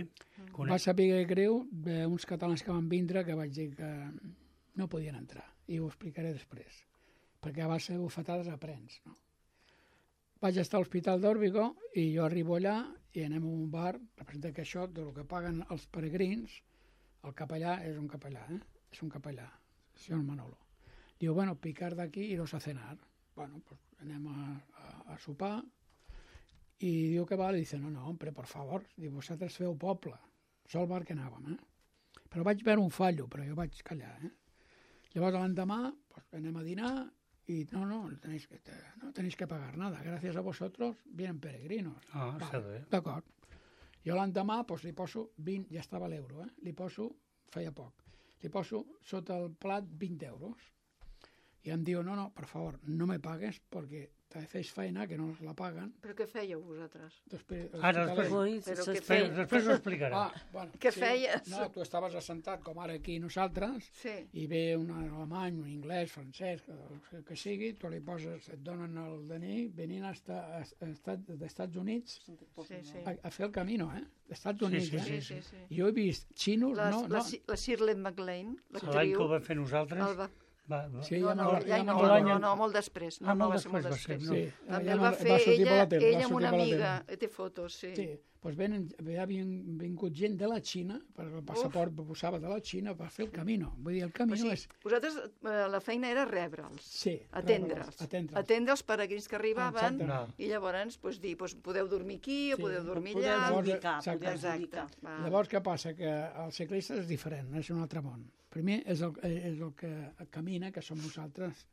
Va saber greu uns catalans que van vindre que vaig dir que no podien entrar, i ho explicaré després, perquè a base de bufetades aprens, no? Vaig estar a l'Hospital d'Órbigo i jo arribo allà i anem a un bar, representa que això, del que paguen els peregrins, el capellà és un capellà, és un capellà, senyor Manolo. Diu, bueno, picar d'aquí i iros a cenar. Bueno, pues anem a sopar, i diu que val, i dice, no, hombre, por favor, diu, vosaltres feu poble, això el bar que anàvem, Però vaig veure un fallo, però jo vaig callar, Llavors l'endemà, pues, anem a dinar, y no tenéis que pagar nada, gracias a vosotros vienen peregrinos. Vale, d'acord. Jo l'endemà, pues, li poso 20, ja estava l'euro, li poso feia poc. Li poso sota el plat 20 euros. I em diu, no, per favor, no me pagues perquè te fes feina que no la paguen. Però què fèieu vosaltres? Després Però què fèieu? Després ho explicarà. Bueno, Què feies? No, tu estaves assentat com ara aquí nosaltres i ve un alemany, un anglès, francès, que sigui, tu li poses, et donen el DNI, venint als Estats Units a fer el camino, d'Estats Units. Sí. Jo he vist xinos... La Shirley MacLaine, l'actriu... L'any que ho vam fer nosaltres... No, molt després. No, va ser molt després. També el va fer ella amb una amiga. Té fotos, sí. Sí, doncs havien vingut gent de la Xina, perquè el passaport posava de la Xina, per fer el camino. Vull dir, el camino és... Vosaltres, la feina era rebre'ls, atendre'ls. Atendre els peregrins que arribaven i llavors dir, podeu dormir aquí o podeu dormir allà. Exacte. Llavors, què passa? Que el ciclista és diferent, és un altre món. Primer és el que camina, que som nosaltres.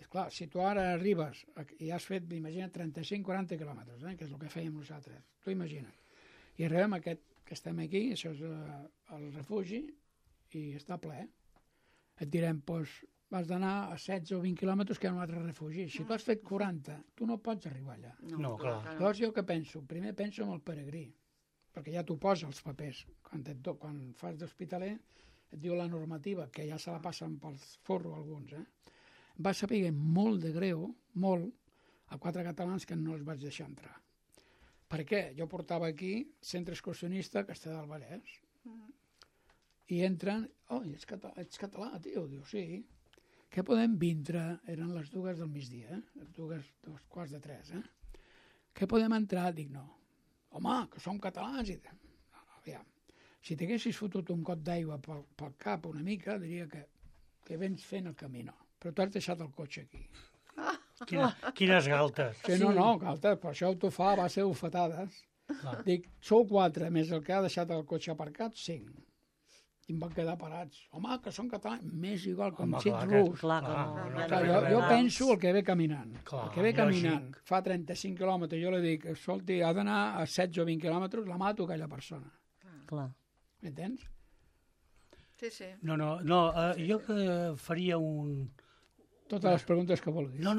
És clar, si tu ara arribes i has fet, imagina't, 35-40 quilòmetres, que és el que fèiem nosaltres, tu imagina't. I arribem que estem aquí, això és el refugi, i està ple. Et direm, doncs, vas d'anar a 16 o 20 quilòmetres que hi ha un altre refugi. Si tu has fet 40, tu no pots arribar allà. No, clar. Llavors jo què penso? Primer penso en el peregrí, perquè ja t'ho posa els papers. Quan fas d'hospitaler, et diu la normativa, que ja se la passen pel forro alguns, va saber molt de greu, molt, a 4 catalans que no els vaig deixar entrar. Per què? Jo portava aquí centre excursionista a Castellar del Vallès, i entren, ets català, tio? Diu, sí. Què podem vindre? Eren les 2 del migdia, 2:45, Què podem entrar? Dic, no. Home, que som catalans. Aviam. Si t'haguessis fotut un got d'aigua pel cap una mica, diria que vens fent el camino. Però tu has deixat el cotxe aquí. Quines galtes. Sí, no, galtes, per això t'ho fa a base d'ofetades. Dic, sou 4, més el que ha deixat el cotxe aparcat, 5. I em van quedar parats. Home, que són catalans. M'és igual, com si ets rus. Jo penso el que ve caminant. El que ve caminant fa 35 quilòmetres, jo li dic, escolti, ha d'anar a 16 o 20 quilòmetres, la mato aquella persona. Clar. M'entens? Sí. No, jo que faria un... Totes les preguntes que vulguis. No.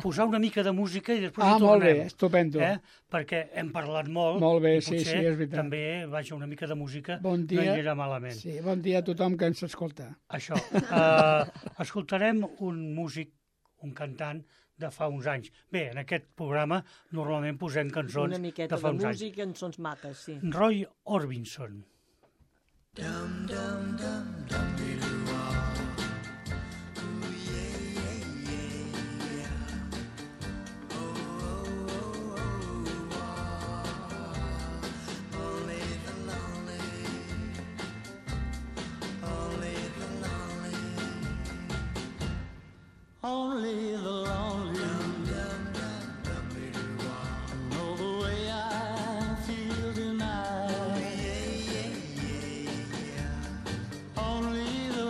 Posar una mica de música i després hi tornem. Molt bé, estupendo. Perquè hem parlat molt. Molt bé, sí, és veritat. També, una mica de música bon dia, no anirà malament. Sí, bon dia a tothom que ens escolta. Això. Escoltarem un músic, un cantant de fa uns anys. Bé, en aquest programa normalment posem cançons de fa uns anys. Una miqueta de música, cançons maques, sí. Roy Orbison. Dum, dum, dum, dum, only the lonely know the way I feel tonight. Only the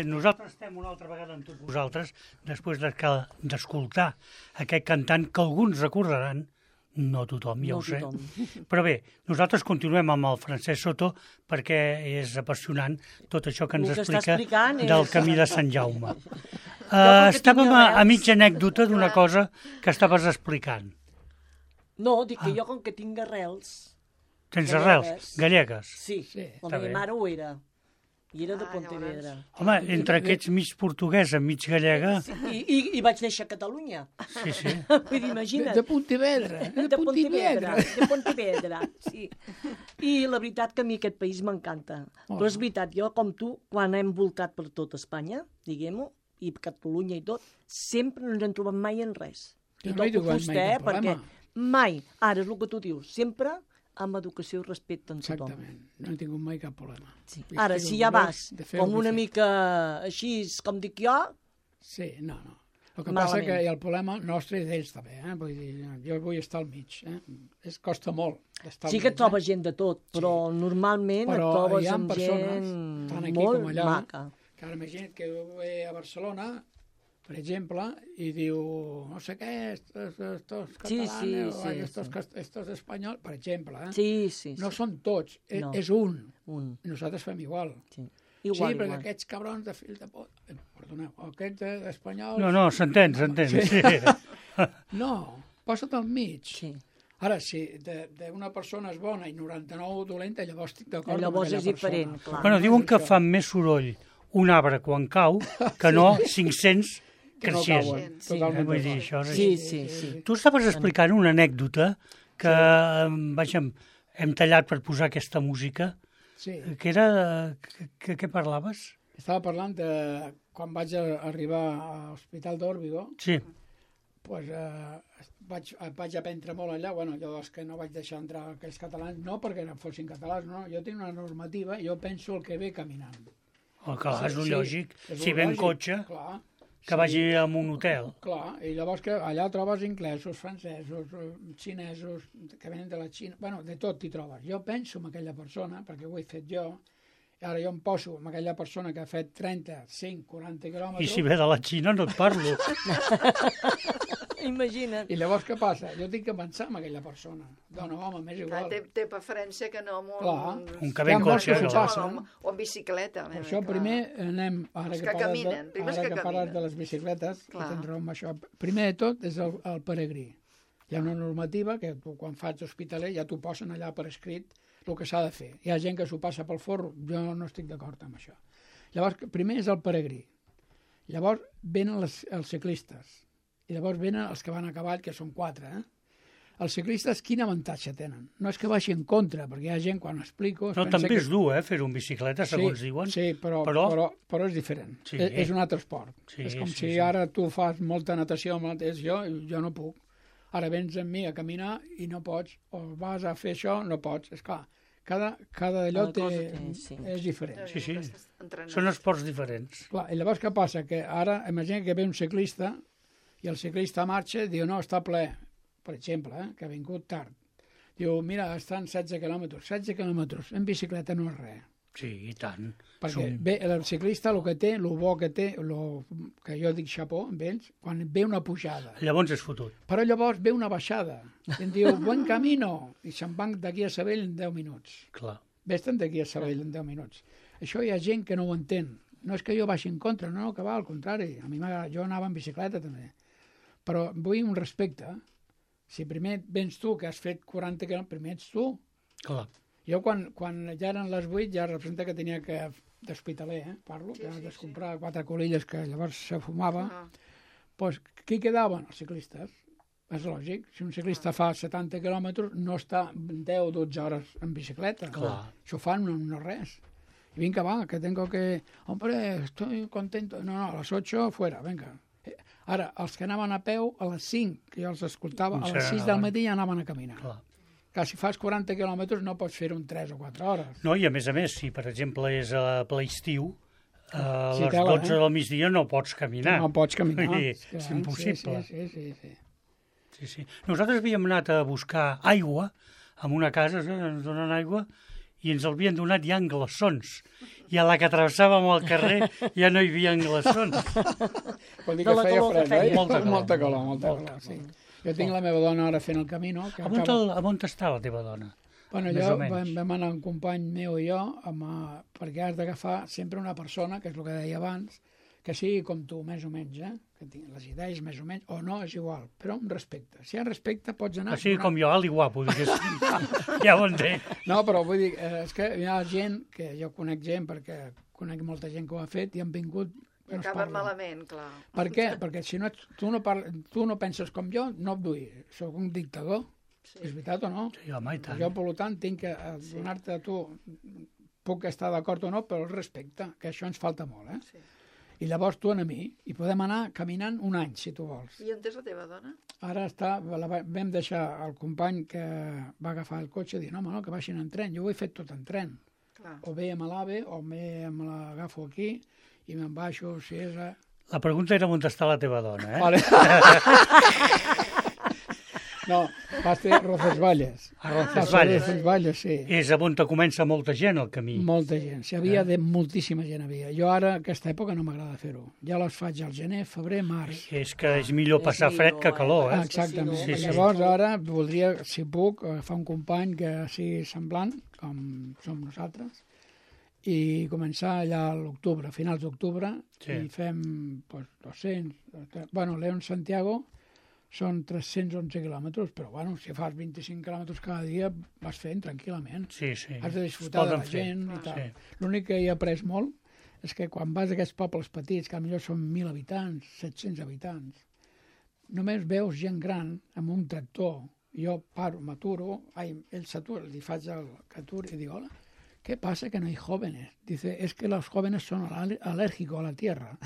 Nosaltres estem una altra vegada amb tots vosaltres després d'escoltar aquest cantant que alguns recordaran, no tothom, ja ho sé. Però bé, nosaltres continuem amb el Francesc Soto perquè és apassionant tot això que ens explica del camí de Sant Jaume. Estàvem a mitja anècdota d'una cosa que estaves explicant. No, dic que jo com que tinc arrels... Tens arrels gallegues? Sí, la meva mare ho era. I era de Pontevedra. Home, entre aquests mig portuguesa, mig gallega... I vaig néixer a Catalunya. Sí, sí. Vull dir, imagina't. De Pontevedra. De Pontevedra, sí. I la veritat que a mi aquest país m'encanta. Però és veritat, jo com tu, quan hem voltat per tot Espanya, diguem-ho, i Catalunya i tot, sempre no ens hem trobat mai en res. I toco fusta, perquè mai, ara és el que tu dius, sempre amb educació i respecte en tothom. Exactament, no he tingut mai cap problema. Sí. Ara, si ja vas com una mica així, com dic jo... Sí, no. El que passa que el problema nostre és d'ells també, Vull dir, jo vull estar al mig, costa molt estar al mig. Sí que trobes gent de tot, però normalment et trobes amb gent molt maca. Que ara imagina't que jo ve a Barcelona, per exemple, i diu, no sé què, estos catalanes, estos espanyols, per exemple. Sí. No són tots, és un. I nosaltres fem igual. Sí, perquè aquests cabrons de fill de pot... Perdoneu, aquests espanyols... No, s'entén. Sí. No, posa't al mig. Sí. Ara, si d'una persona és bona i 99 dolenta, llavors estic d'acord amb aquella persona. Llavors és diferent, clar. Bueno, diuen que fa més soroll un arbre quan cau que no 500 creixent. Vull dir, això és així. Sí. Tu estaves explicant una anècdota que hem tallat per posar aquesta música, que era... Què parlaves? Estava parlant de quan vaig arribar a l'Hospital d'Órbigo, pues, vaig aprendre molt allà. Bueno, jo és que no vaig deixar entrar aquells catalans, no perquè no fossin catalans, no. Jo tinc una normativa i jo penso el que ve caminant. Clar, és lògic. Si ve en cotxe, que vagi a un hotel. Clar, i llavors que allà trobes inglesos, francesos, xinesos, que venen de la Xina, bueno, de tot t'hi trobes. Jo penso en aquella persona, perquè ho he fet jo, i ara jo em poso amb aquella persona que ha fet 30, 5, 40 quilòmetres... I si ve de la Xina no et parlo. Imagina't. I llavors què passa? Jo tinc que pensar en aquella persona. Dona, home, m'és igual. Té preferència que no amb un que ve en cotxe. O en bicicleta. Per això primer anem... Ara que parles de les bicicletes, que tens raó amb això. Primer de tot és el peregrí. Hi ha una normativa que tu, quan fas hospitaler, ja t'ho posen allà per escrit el que s'ha de fer. Hi ha gent que s'ho passa pel forro, jo no estic d'acord amb això. Llavors, primer és el peregrí. Llavors venen els ciclistes. I llavors venen els que van a cavall, que són 4. Els ciclistes, quin avantatge tenen? No és que vagi en contra, perquè hi ha gent, quan explico... No, també és dur, fer-ho en bicicleta, segons diuen. Sí, però és diferent. Sí. És un altre esport. És com si ara tu fas molta natació, jo no puc. Ara vens amb mi a caminar i no pots, o vas a fer això, no pots. És clar, cada d'allò és diferent. Sí. Són esports diferents. Clar, i llavors què passa? Que ara, imagina que ve un ciclista i el ciclista marxa i diu, no, està ple, per exemple, que ha vingut tard. Diu, mira, estan 16 quilòmetres. 16 quilòmetres en bicicleta no és res. Sí, i tant. Perquè bé, el ciclista el que té, el bo que té, que jo dic xapó amb ells, quan ve una pujada. Llavors és fotut. Però llavors ve una baixada. I em diu, buen camino. I se'n van d'aquí a Sabell en 10 minuts. Clar. Vés-te'n d'aquí a Sabell en 10 minuts. Això hi ha gent que no ho entén. No és que jo vagi en contra, no, que va, al contrari. A mi jo anava en bicicleta també. Però vull un respecte. Si primer vens tu, que has fet 40 quilòmetres, primer ets tu. Clar. Jo, quan ja eren les 8, ja representa que tenia que d'hospitaler, parlo, que has de comprar 4 colilles que llavors se fumava. Doncs qui quedaven? Els ciclistes. És lògic. Si un ciclista fa 70 quilòmetres, no està 10 o 12 hores en bicicleta. Clar. Això fan no res. I vinga, va, que tengo que... Hombre, estoy contento. No, a les 8 fuera, venga. Ara, els que anaven a peu, a les 5, que jo els escoltava, a les 6 del matí ja anaven a caminar. Clar. Que si fas 40 quilòmetres no pots fer-ho en 3 o 4 hores. No, i a més, si per exemple és a ple estiu, a les 12 del migdia no pots caminar. No pots caminar. És impossible. Sí. Nosaltres havíem anat a buscar aigua en una casa, ens donen aigua, i ens l'havien donat ja en glaçons. I a la que travessàvem el carrer ja no hi havia glaçons. Vol dir que feia fred, oi? Molta calor. Molta calor, sí. Jo tinc la meva dona ara fent el camino. On està la teva dona? Bueno, vam anar un company meu i jo, perquè has d'agafar sempre una persona, que és el que deia abans, que sigui com tu, més o menys, que tingui les idees més o menys, o no, és igual, però amb respecte. Si hi ha respecte, pots anar... Així com jo, alt i guapo, ja ho entenc. No, però vull dir, és que hi ha gent, que jo conec gent, perquè conec molta gent que ho ha fet, i han vingut... I acaben malament, clar. Per què? Perquè si no, tu no penses com jo, no et vull. Soc un dictador. Sí. És veritat o no? Sí, home, i tant. Jo, per tant, tinc que donar-te a tu, puc estar d'acord o no, però el respecte, que això ens falta molt, Sí. I llavors tu a mi, i podem anar caminant un any, si tu vols. I on és la teva dona? Ara vam deixar el company que va agafar el cotxe i dir, no, que baixin en tren. Jo ho he fet tot en tren. Clar. O bé amb l'AVE, o bé me l'agafo aquí, i me'n baixo, si és... La pregunta era on està la teva dona, eh? Vale. No, va ser Roncesvalles. A Roncesvalles. Roncesvalles, sí. És on comença molta gent el camí. Molta gent. Moltíssima gent havia. Jo ara, aquesta època, no m'agrada fer-ho. Ja les faig al gener, febrer, març. És que és millor passar fred que calor, eh? Exactament. Sí. Llavors, ara, voldria, si puc, agafar un company que sigui semblant, com som nosaltres, i començar allà a l'octubre, a finals d'octubre, i fem 200... Bueno, León Santiago són 311 quilòmetres, però bueno, si fas 25 quilòmetres cada dia vas fent tranquil·lament. Sí, sí. Has de disfrutar de la gent i tal. Sí. L'únic que he après molt és que quan vas a aquests pobles petits, que potser són 1.000 habitants, 700 habitants, només veus gent gran amb un tractor. Jo paro, m'aturo, ell s'atura, li faig el que aturi i dic, hola, ¿qué pasa que no hay jóvenes? Dice, es que los jóvenes son alérgicos a la tierra.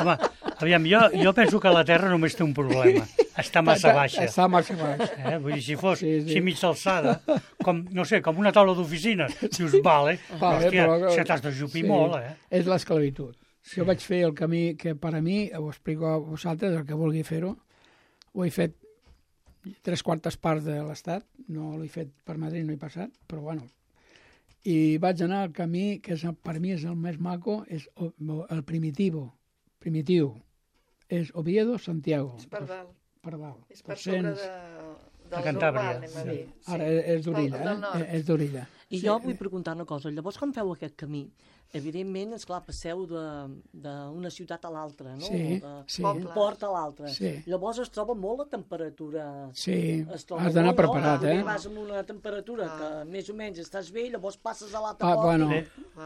Home, aviam, jo penso que la Terra només té un problema. Està massa baixa. Està massa baixa. Vull dir, si fos mig alçada, com, no sé, com una taula d'oficina, dius, vale, hòstia, se t'has d'ajupir molt, eh? És l'esclavitud. Sí. Jo vaig fer el camí que per a mi, ho explico a vosaltres, el que vulgui fer-ho, ho he fet 3/4 parts de l'Estat, no l'he fet per Madrid, no he passat, però bueno, i vaig anar al camí que per mi és el més maco, és el primitiu, és Oviedo, Santiago. És per dalt. Per dalt. És per sobre de Cantàbria. Sí. Ara és d'Orilla, és d'Orilla. I jo vull preguntar una cosa. Llavors, quan feu aquest camí, evidentment, esclar, passeu d'una ciutat a l'altra, no? Sí, d'un port a l'altre. Sí. Llavors es troba molt la temperatura. Sí, has d'anar preparat, eh? Vas amb una temperatura que més o menys estàs bé, llavors passes a l'altre port. Bueno,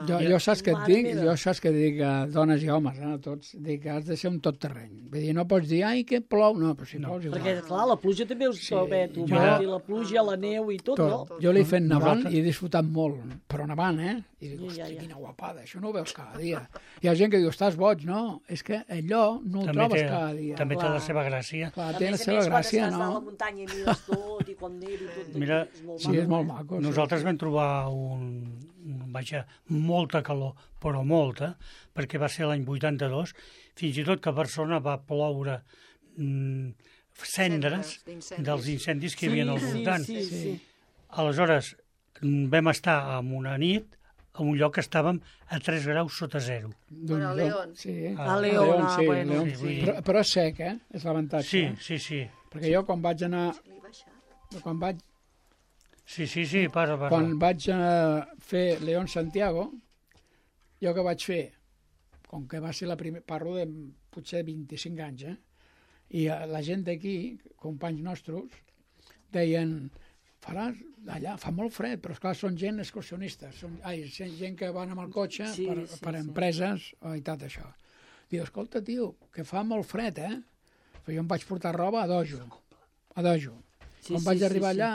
jo saps què et dic? Jo saps què dic a dones i homes, a tots? Dic que has de ser un tot terreny. Vull dir, no pots dir, ai, que plou. No, però si plous igual. Perquè, clar, la pluja també us troba, la pluja, la neu i tot, no? Jo l'he fet nevant i he disfrutat molt, però nevant, eh? I dic, hòstia, quina guapada, això no ho veus cada dia. Hi ha gent que diu, estàs boig, no? És que allò no ho trobes cada dia. També té la seva gràcia. Clar, té la seva gràcia, no? A més, quan estàs a la muntanya i mires tot, i quan neu i tot, mira, sí, és molt maco. Nosaltres vam trobar molta calor, però molta, perquè va ser l'any 82, fins i tot que a Barcelona va ploure cendres dels incendis que hi havia al voltant. Sí. Aleshores, vam estar en una nit en un lloc que estàvem a 3 graus sota zero. Bueno, a León. Sí. A León, sí, bueno. Sí. Però és sec, eh? És l'avantatge. Sí. Perquè jo quan vaig anar... Sí, para. Quan vaig fer León Santiago, jo que vaig fer, com que va ser la primera, parlo de potser 25 anys, i la gent d'aquí, companys nostres, deien, faràs allà, fa molt fred, però esclar, són gent excursionistes, gent que van amb el cotxe per empreses i tot això. Diu, escolta, tio, que fa molt fred, Però jo em vaig portar roba a dojo. Quan vaig arribar allà,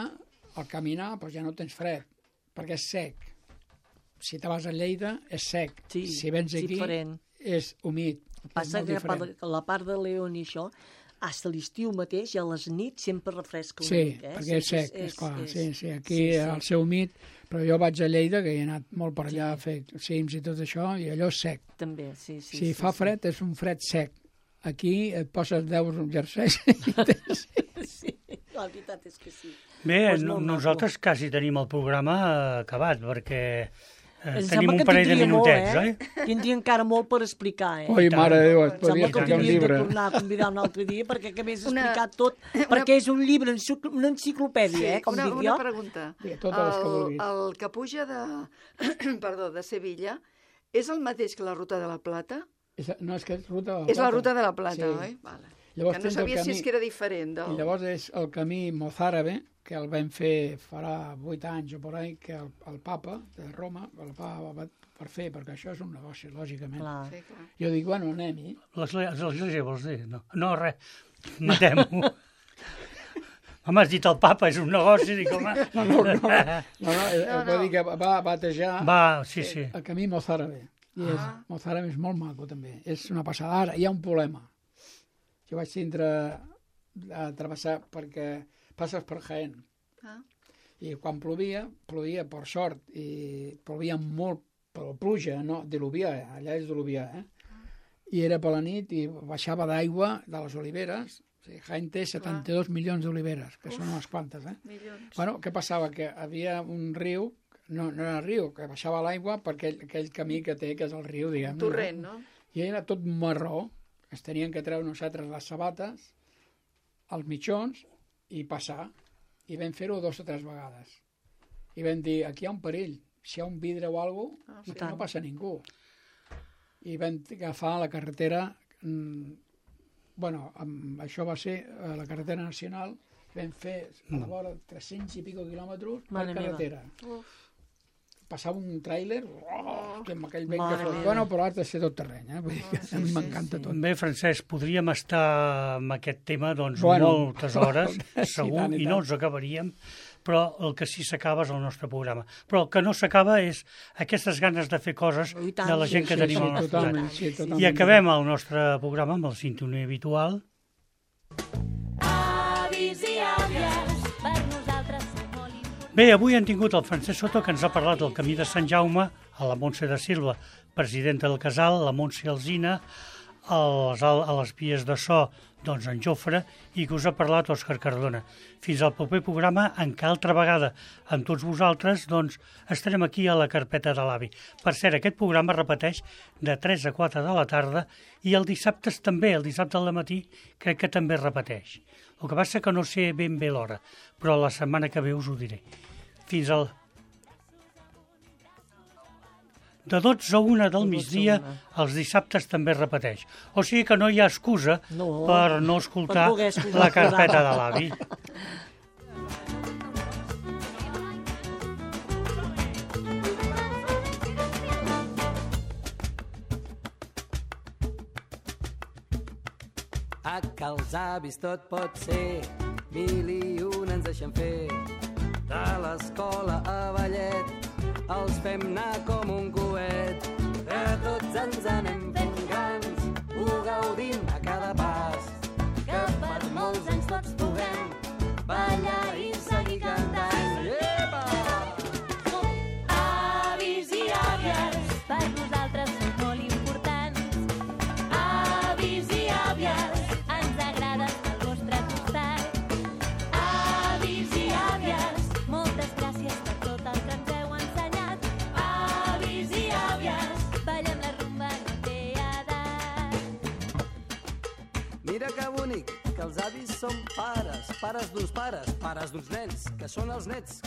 al caminar, doncs ja no tens fred, perquè és sec. Si te vas a Lleida, és sec. Si vens aquí, és humit. Passa que la part de León i això, fins a l'estiu mateix i a les nits sempre refresca una mica. Sí, perquè és sec, esclar. Sí, aquí al seu humit, però jo vaig a Lleida, que he anat molt per allà a fer cims i tot això, i allò és sec. També, sí. Si fa fred, és un fred sec. Aquí et poses 10 jerseis i Sí, La veritat és que sí. Bé, Pues molt nosaltres quasi tenim el programa acabat, perquè Em tenim sembla un que parell de tindria molt, minutets, oi? Tindria encara molt per explicar, Oi, mare de Déu, es Em podria sembla que explicar un hauríem de llibre. tornar a convidar un altre dia perquè acabés d'explicar tot, perquè és un llibre, una enciclopèdia, com dic jo. Una pregunta. Sí, totes les que vulguis. El que puja de Sevilla és el mateix que la Ruta de la Plata? No, és que és Ruta de la Plata. És la Ruta de la Plata, Sí. oi? Vale. Llavors Que no tens el sabia si camí- és que era diferent. I llavors és el camí mozàrabe, que el vam fer farà 8 anys o por ahí, que el papa de Roma, el papa va per fer, perquè això és un negoci, lògicament. Clar. Sí, clar. Jo dic, bueno, anem-hi. L'església vols dir? No, res, matem-ho. Home, has dit el papa, és un negoci, dic, home... Vull dir que va batejar Sí. el camí mozàrabe. I mozàrabe és molt maco, també. És una passada. Ara, hi ha un problema. Jo vaig tindre a travessar perquè passes per Jaén. I quan plovia per sort, i plovia molt, però pluja, no, diluvià, allà és diluvià, I era per la nit i baixava d'aigua de les oliveres. O sigui, Jaén té 72 milions d'oliveres, que són unes quantes, Milions. Bueno, què passava? Que havia un riu, no era riu, que baixava l'aigua per aquell camí que té, que és el riu, diguem. Torrent, no? I era tot marró, es tenien que treure nosaltres les sabates, els mitjons, i passar. I vam fer-ho 2 o 3 vegades. I vam dir, aquí hi ha un perill, si hi ha un vidre o alguna cosa, no passa ningú. I vam agafar la carretera, això va ser la carretera nacional, vam fer a la vora 300 i pico quilòmetres per carretera. Passava un tràiler, amb aquell vent que fot. Bueno, però has de ser tot terreny, vull dir que a mi m'encanta tot. Bé, Francesc, podríem estar amb aquest tema moltes hores, segur, i no ens acabaríem, però el que sí s'acaba és el nostre programa. Però el que no s'acaba és aquestes ganes de fer coses de la gent que tenim al nostre costat. I acabem el nostre programa amb el sintonia habitual. Avis i àvies, per nosaltres són molt importants. Bé, avui hem tingut el Francesc Soto, que ens ha parlat del camí de Sant Jaume, a la Montse de Silva, presidenta del casal, la Montse Alzina, a les vies de so, doncs en Jofre, i que us ha parlat Òscar Cardona. Fins al proper programa, en què altra vegada amb tots vosaltres, doncs estarem aquí a la carpeta de l'avi. Per cert, aquest programa repeteix de 3 a 4 de la tarda i el dissabtes també, el dissabte al matí, crec que també repeteix. El que passa que no sé ben bé l'hora, però la setmana que ve us ho diré. Fins al... De 12 a 1 del migdia, els dissabtes també repeteix. O sigui que no hi ha excusa per no escoltar la carpeta de l'avi. A que els avis tot pot ser, 1001 ens deixen fer. De l'escola a ballet, els fem anar com un coet. De tots ens anem fent grans, ho gaudim a cada pas. Que per molts anys tots puguem ballar i seguir cantant. Epa! Avis i àvies, per nosaltres són molt importants. Avis i àvies, ens agrada estar al vostre costat. Avis i àvies, moltes gràcies per tot el que ens heu ensenyat. Avis i àvies, ballem la rumba, no té edat. Mira que bonic, que els avis són pares, pares d'uns nens, que són els nets